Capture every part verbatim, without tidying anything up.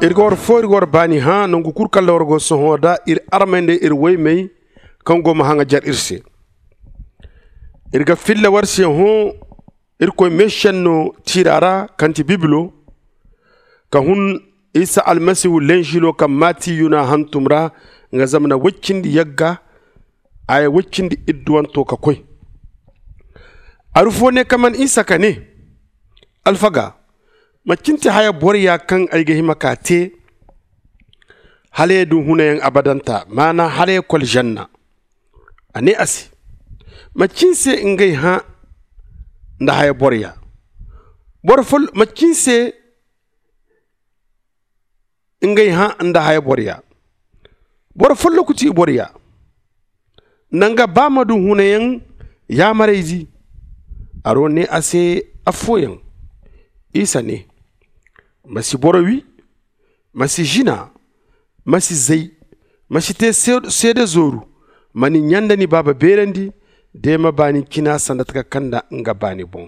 Iri ga war fo iri ga war baani hã nangu kulu kaŋ ra war go sohõ nda iri armey nda iri woymey kaŋ go ma haŋajer iri se. Iri ga filla war se hõ irkoy meesenno tiira ra kaŋ ti bibilo, ka hun isa almasihu lenžilo kaŋ maati yuna hantum ra, nga zamana woy cindi yagga haya woy cindi idduwanto ka koy. Aru fo ne ka man isa ka ne, alfaga, macin ti haya boroya kaŋ ay ga hima ka te hala ya du hunayaŋ abadanta maana hala ya kol ženna? A ne a se, macin se ngey hã nda haya boroya? Boro fo macin se ngey hã nda haya boroya? Boro folloku ti i boroya nda nga ba ma du hunayaŋ yaamarayzi. Aro ne a se affooyaŋ. Isa ne, ma si boro wi, ma si zina, ma si zay, ma si te seede zooru, ma ni ɲa nda ni baaba beerandi, de ma baani cina sanda taka kaŋ nda nga baani boŋ.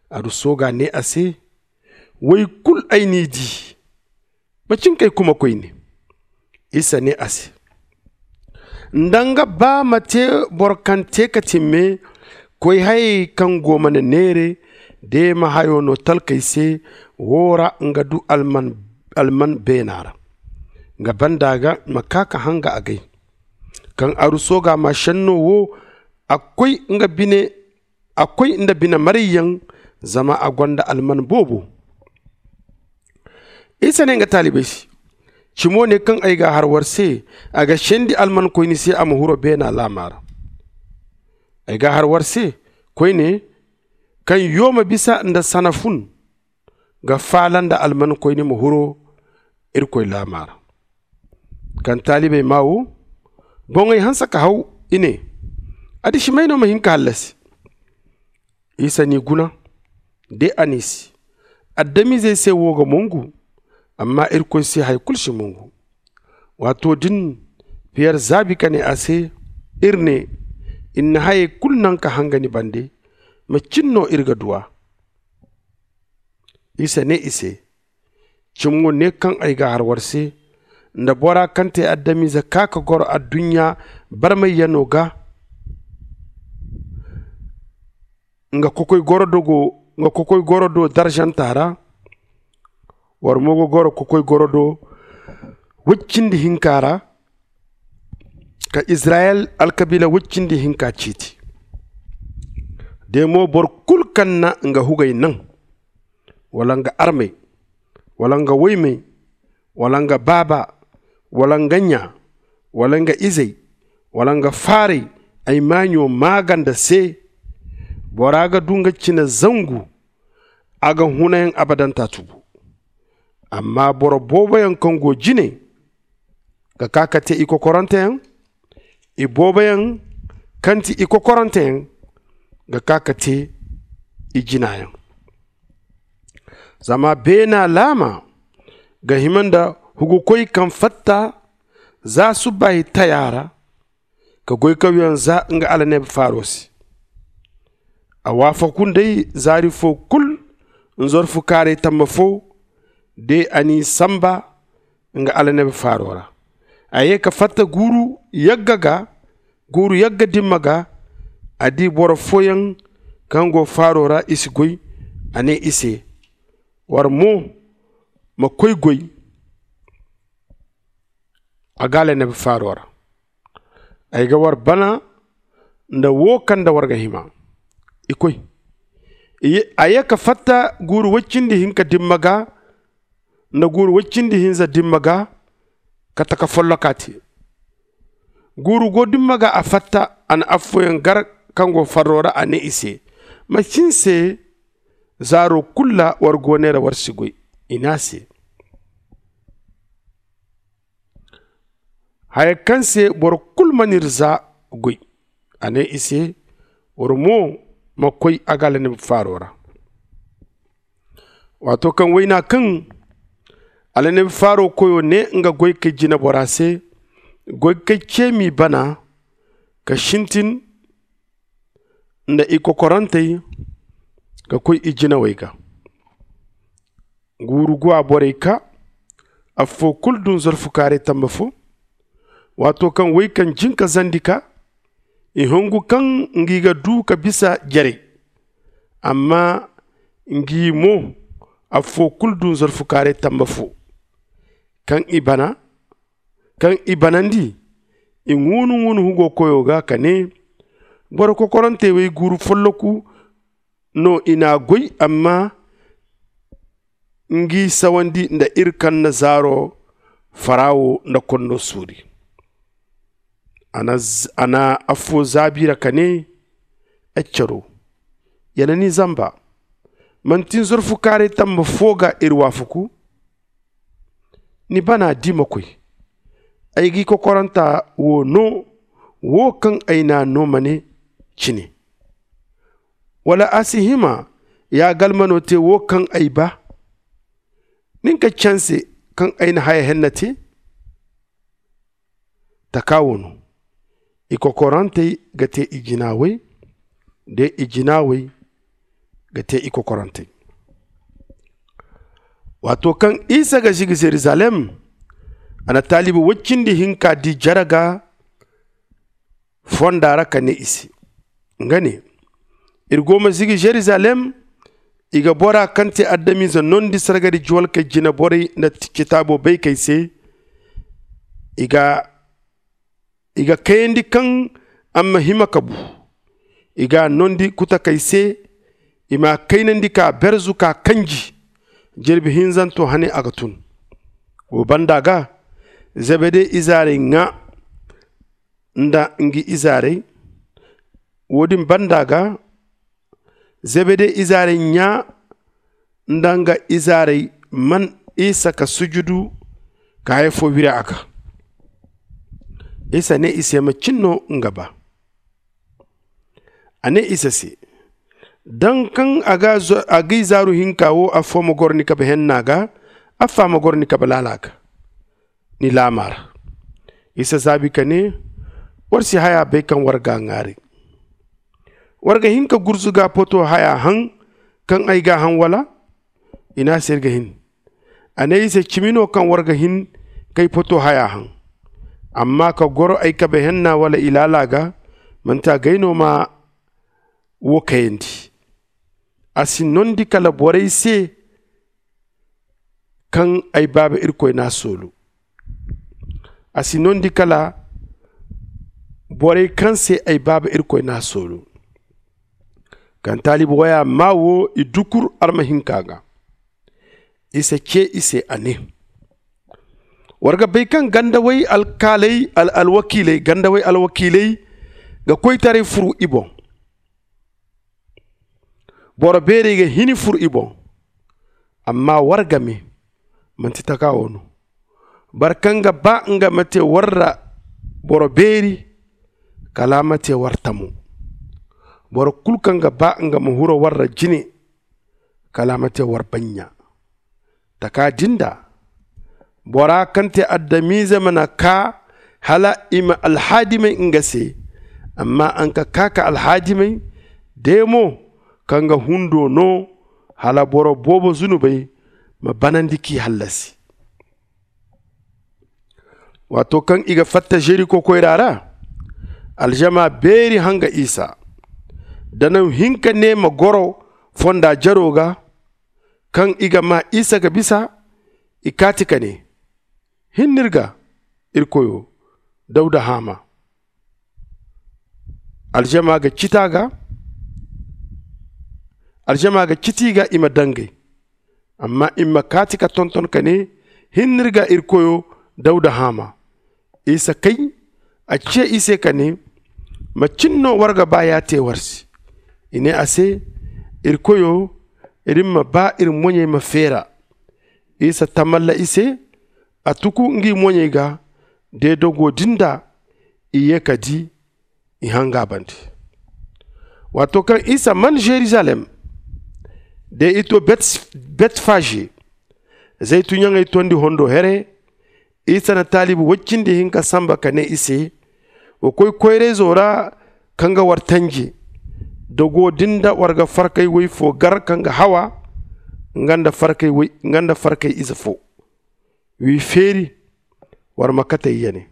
Aru sooga ne a se, woy kulu ay n'i di. Macin kay kuma koyne? Isa ne a se, nda nga ba ma te boro kaŋ te ka timme koy hayey kaŋ go mana neere, de ma hayo no talkey se, wo ra nga du alman beena ra. Nga banda ga ma ka ka hanga agay. Kaŋ aru sooga ma senno wo, a koy nga bine a koy nda bine marayyaŋ, zama a gonda alman boobo. Isa ne nga taalibey se, cimo ne kaŋ ay ga a har war se, a ga sendi almankoyni se a ma huro beena laama ra. Ay ga a har war se, koyne, kaŋ yooma bisa nda sana fun ga faala nda almankoyni ma huro irkoy laama ra. Kaŋ taalibey maa wo, boŋey hanse ka haw, i ne, addisimey no ma hin ka hallasi? Isa n'i guna, de a ne i se, adamizey se wo ga mongu, amma irkoy se hari kulu si mongu. Waato din, piyer zaabi ka ne a se, iri ne, iri na hayey kulu naŋ ka hanga ni bande, macin no iri ga du a? Isa ne i se, cimo ne kaŋ ay ga a har war se, nda bora kaŋ te adamize ka ka goro adduɲɲa barmayyano ga, nga kokoy goro do darzanta ra, war mo ga goro kokoy goro do woy cindi hinka ra, ka izirayel alkabiila woy cindi hinka ciiti. De mo boro kulu kaŋ na nga hugey naŋ, wala nga armey, wala nga woymey, wala nga baaba, wala nga ɲa, wala nga izey, wala nga faarey, ay maaɲo maaganda se, bora ga du nga cine zangu, a ga hunayaŋ abadanta tubu. Amma boro booboyaŋ kaŋ go jine ga ka ka te i kokoranteyaŋ, i booboyaŋ kaŋ ti i kokoranteyaŋ ga ka ka te i jinayaŋ. Zama beena laama ga hima nda hugukoy kaŋ fatta za subbaahi taya ra, ka goy ka wiyaŋ za nga alaneeba faaro se. A waafaku nd'ey zaari fo kulu nzorfu kaaray tamma fo, de a n'i samba nga alaneeba faaro ra. A ye ka fatta guuru yagga ga, guuru yagga dimma ga, a di boro fooyaŋ kaŋ go faaro ra i si goy. A ne i se, war mo ma koy goy a ga alaneeba faaro ra. Ay ga war bana nda wo kaŋ nda war ga hima. I koy, a ye ka fatta guuru woy cindi hinka dimma ga nda guuru woy cindi hinza dimma ga, ka taka folloka te. Guuru go dimma ga a fatta, a na affooyaŋ gar kaŋ go farro ra, a ne i se, macin se zaaro kulu ra war go neera war si goy? I ne a se, haya kaŋ se boro kulu mana iri za goy. A ne i se, war mo ma koy a ga alaneeba faaro ra. Waato kaŋ wayna kaŋ alaneeba faaro koyo ne nga goy kay jinebora se, goy kay ce m'i bana ka sintin nda i kokorantey ka koy i jinawey ga. guuru guwa borey kaa. Affoo kul dun zorfu kaaray tamba foo. Waato kaŋ woy kaŋ jin ka zandi kaa, i hongu kaŋ ngi ga duu ka bisa jerey. Amma ngi mo, affoo kul dun zorfu kaaray tamba foo. Kaŋ i bana kaŋ i banandi, i ŋuunu ŋuunu hugo koyo ga ka nee, boro kokorantey wey guuru folloku no i n'a goy. Amma ngi sawandi nda iri kaŋ na zaaro farawo nda konno suuri. A na affoo zaabi ra ka nee, ay caro, ya na ni zamba. Manti ni zorfu kaaray tamba foo ga iri waafaku? Ni bana di ma koy. Ay g'i kokoranta woo noo, woo kaŋ ay n'a noo ma ne cine? Wala a si hima ya galmano tee woo kaŋ ay baa? Nin ka canse kaŋ ay na haya henna tee. Takaa woo no, i kokorantey ga tee i jinaawey, de i jinaawey ga tee i kokorantey. Waato kaŋ isa ga zigi zerizalem, a na taalibi woy cindi hinka di jere ga fonda ra ka nee i se, nga ne, iri go ma zigi zerizalem. I ga bora kaŋ tee adamize nondi sargari juwalkey jineborey nda citaabo baykey se. I ga kayandi kaŋ a ma hima ka bu. I g'a nondi kutakey se, i m'a kaynandi k'a berzu k'a kanji. Jirbi hinzanto hane a ga tun. Woo banda ga, zebede izaarey ŋaa nda ngi izaarey. Woo din banda ga, zebede izaarey ɲaa nda nga izaarey man isa ka sujudu ka haya foo wiri a ga. Isa nee i se macin no nga baa? A nee isa se, daŋ kaŋ a g'i zaaru hinka woo affoo ma goro ni kabe henna ga, affaa ma goro ni kabe laala ga, ni laamaa ra. Isa zaabi ka nee, war si hayaa bay kaŋ war g'a ŋaaray. War ga hin ka gurzuga poto hayaa haŋ kaŋ ay g'a haŋ wala? I ne a se ir ga hin. A ne i se cimi no kaŋ war ga hin k'ay poto hayaa haŋ. Amma ka goro ay kabe henna wala i laala ga, manti agay no ma woo kayandi. A si nondi kala borey se kaŋ ay baaba irkoy n'a soolu. A si nondi kala borey kaŋ se ay baaba irkoy n'a soolu. Kaŋ taalibi woya maa woo i dukur arma hinka ga. Isa cee i se a nee, war ga bay kaŋ gandawey alkaaley alwakiiley gandawey alwakiiley ga koytaray furu i boŋ. Boro beerey ga hini furu i boŋ. Amma war game manti taka wo no. Boro kaŋ ga ba nga ma te war ra boro beeri, kala a ma te war tamo. Boro kulu kaŋ ga ba nga ma huro war ra jine, kala a ma te war bannya. Taka din da bora kaŋ te adamize mana ka hala i ma alhadimay nga se. Amma a nga ka ka alhadimay de mo, kaŋ ga hundo no hala boro boobo zunubay ma banandi k'i hallasi. Waato kaŋ i ga fatta jeriko koyra ra, aljama beeri hanga isa. Danaw hinka ne ma goro fonda jaro ga. Kaŋ i ga maa isa ga bisa, i kaati ka ne, hinne ir ga, ir koyo dawda haama. Aljama ga citi a ga. Aljama ga citi i ga i ma dangay. Amma i ma kaati ka tonton ka ne, hinne ir ga ir koyo dawda haama. Isa kay, a ce i se ka ne, macin no war ga ba ya te war se? I ne a se, ir koyo, ir ma ba ir moɲey ma feera. Isa tamalla i se, a tuku ngi moɲey ga. De dogo din da i ye ka di, i hanga bande. Waato kaŋ isa man jerusalem, de i to betfaje, zaytu ɲaŋey tondi hondo here, isa na taalibi woy cindi hinka samba ka ne i se, wa koy koyrayzo ra, kaŋ ga war tanje. Dogo din da war ga farkay woy fo gar kaŋ ga hawa, nga nda farkay ize fo. W'i feeri, war ma katey ya ne.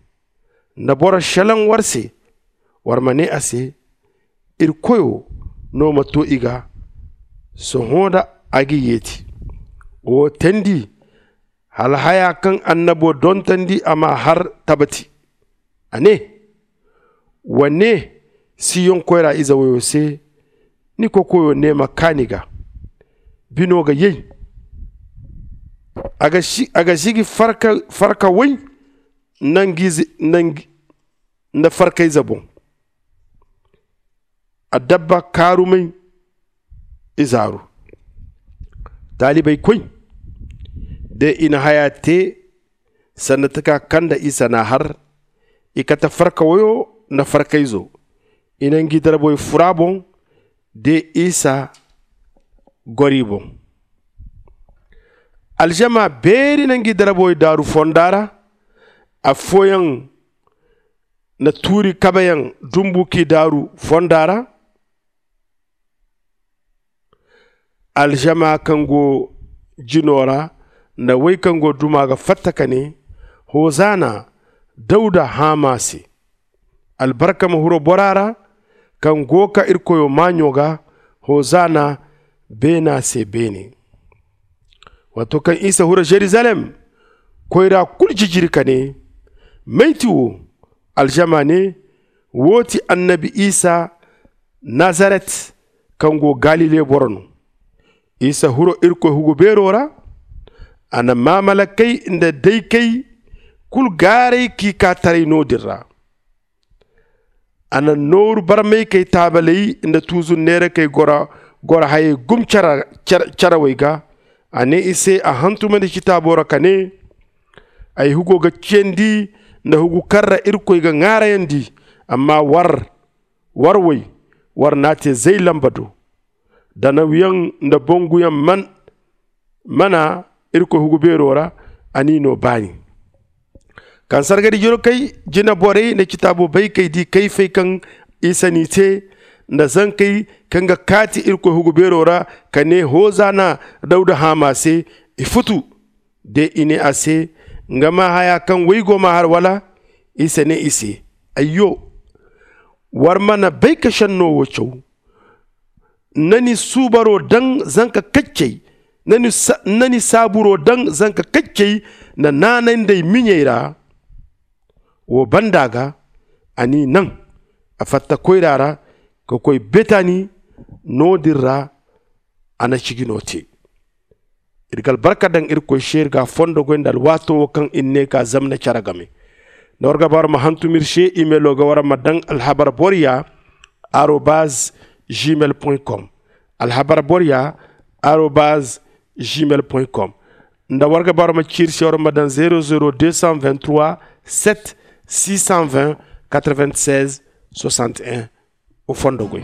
Nda boro šelaŋ war se, war ma nee a se, irkoyo no ma too i ga. Sohõ da a g'i yeeti. Woo teendi, hala hayaa kaŋ annaboo dontandi a m'a har tabati. A nee, wa nee, siyoŋ koyra ize woyoo se, ni kokoyoo nee ma kaa ni ga. Binoo ga yay. A ga sigi farka woy nda farkayze boŋ. Adabba kaarumay izaaru. Taalibey koy, de i na hayaa tee, sanda taka kaŋ nda isa n'a har, i kate farka woyoo nda farkayzo. I na ngi daraboy fur a boŋ, de isa gor i boŋ. Alžama beeri na ngi daraboy daaru fonda ra. Affooyaŋ na tuuri kabeyaŋ dumbu k'i daaru fonda ra. Alžama kaŋ go jino ra nda wey kaŋ go duma ga fatta ka nee, hozana dawda haama se. Albarka ma huru bora ra kaŋ go ka irkoyo maaɲo ga. Hozana beena se beene. Waato kaŋ isa huru žerizalem, koyra kulu jijiri ka nee, may ti woo? Alžama nee, woo ti annabi isa nazaret, kaŋ go galile boro no. Isa huru irkoy hugu beero ra. A na maamalakey nda daykey kulu gaaray k'i kaa taray no-din ra. A na nooru barmaykey taabaley nda tuuzu neerakey goro hayey gum carawey ga. A nee i se a hantumandi citaabo ra ka nee, ay hugo ga ciyandi nda hugu kaŋ ra irkoy ga ŋaarayandi. Amma war war woy, war n'a tee zay lamba do. Danawyaŋ nda bonguyaŋ mana irkoy hugu beero ra. A n'i noo baani. Kaŋ sargari jirkey jineborey nda citaabo baykey di kayfey kaŋ isa n'i tee, nda zankey kaŋ ga kaati irkoy hugu beero ra ka nee hozana dawda haama se, i futu. De i nee a se, nga maa hayaa kaŋ wey go m'a har wala? Isa nee i se, ayyo, war mana bay ka šenno woo caw. Nda ni suubaroo daŋ zanka kaccey, nda ni saaburoo daŋ zanka kaccey nda naanay nd'ey miɲey ra. Woo banda ga a n'i naŋ. A fatta koyra ra ka koy betani. No-din ra a na cijinoo tee. Iri ga albarka daŋ irkoy se iri ga a fondo goy nda alwaato woo kaŋ iri ne ka zamna care game. Nda war ga ba war ma hantum iri se, imeeloo ga war ma daŋ alhabar boro ya arobaz gmail point com. Alhabar boro ya arobaz gmail point com. Nda war ga ba war ma ci iri se, war ma daŋ zero zero deux cent vingt trois sept six cent vingt quatre vingt seize soixante un. Wa fondo goy.